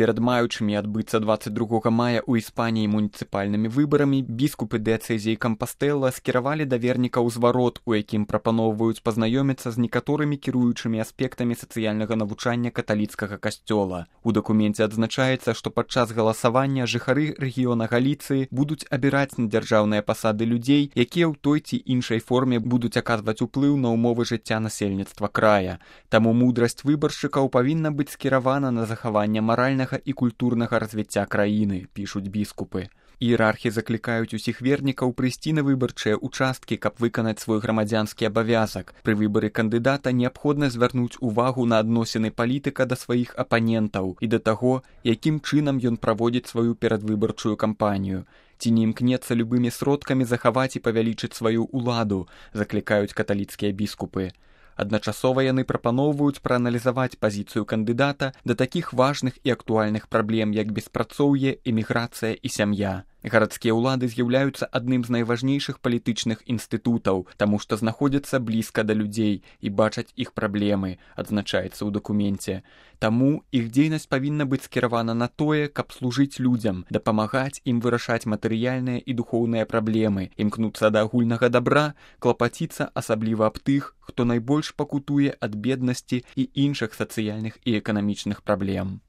Перад маючымі адбыцца 22 мая ў Іспаніі муніцыпальнымі выбарамі біскупы дыяцэзіі Кампастэла скіравалі да вернікаў зварот, у якім прапаноўваюць пазнаёміцца з некаторымі кіруючымі аспектамі сацыяльнага навучання каталіцкага касцёла. У дакуменце адзначаецца, што падчас галасавання жыхары рэгіёна Галіцыі будуць абіраць на дзяржаўныя пасады людзей, якія ў той ці іншай форме будуць аказваць уплыў на ўмовы жыцця насельніцтва края. Таму мудрасць выбаршчыкаў павінна быць скіравана на захаванне маральнага і культурнага развіцця краіны, пішуць біскупы. Іерархі заклікаюць усіх вернікаў прыйсці на выбарчыя участкі, каб выканаць свой грамадзянскі абавязак. Пры выбары кандыдата неабходна звярнуць увагу на адносіны палітыка да сваіх апанентаў і да таго, якім чынам ён праводзіць сваю перадвыбарчую кампанію. Ці не імкнецца любымі сродкамі захаваць і павялічыць сваю ўладу, заклікаюць каталіцкія біскупы. Адначасова яны прапаноўваюць прааналізаваць пазіцыю кандыдата да такіх важных і актуальных праблем, як беспрацоўе, эміграцыя і сям'я. Гарадскія ўлады з'яўляюцца адным з найважнейшых палітычных інстытутаў, таму што знаходзяцца блізка да людзей і бачаць іх праблемы, адзначаецца ў дакуменце. Таму іх дзейнасць павінна быць скіравана на тое, каб служыць людзям, дапамагаць ім вырашаць матэрыяльныя і духоўныя праблемы, імкнуцца да агульнага дабра, клапаціцца асабліва аб тых, хто найбольш пакутуе ад беднасці і іншых сацыяльных і эканамічных праблем.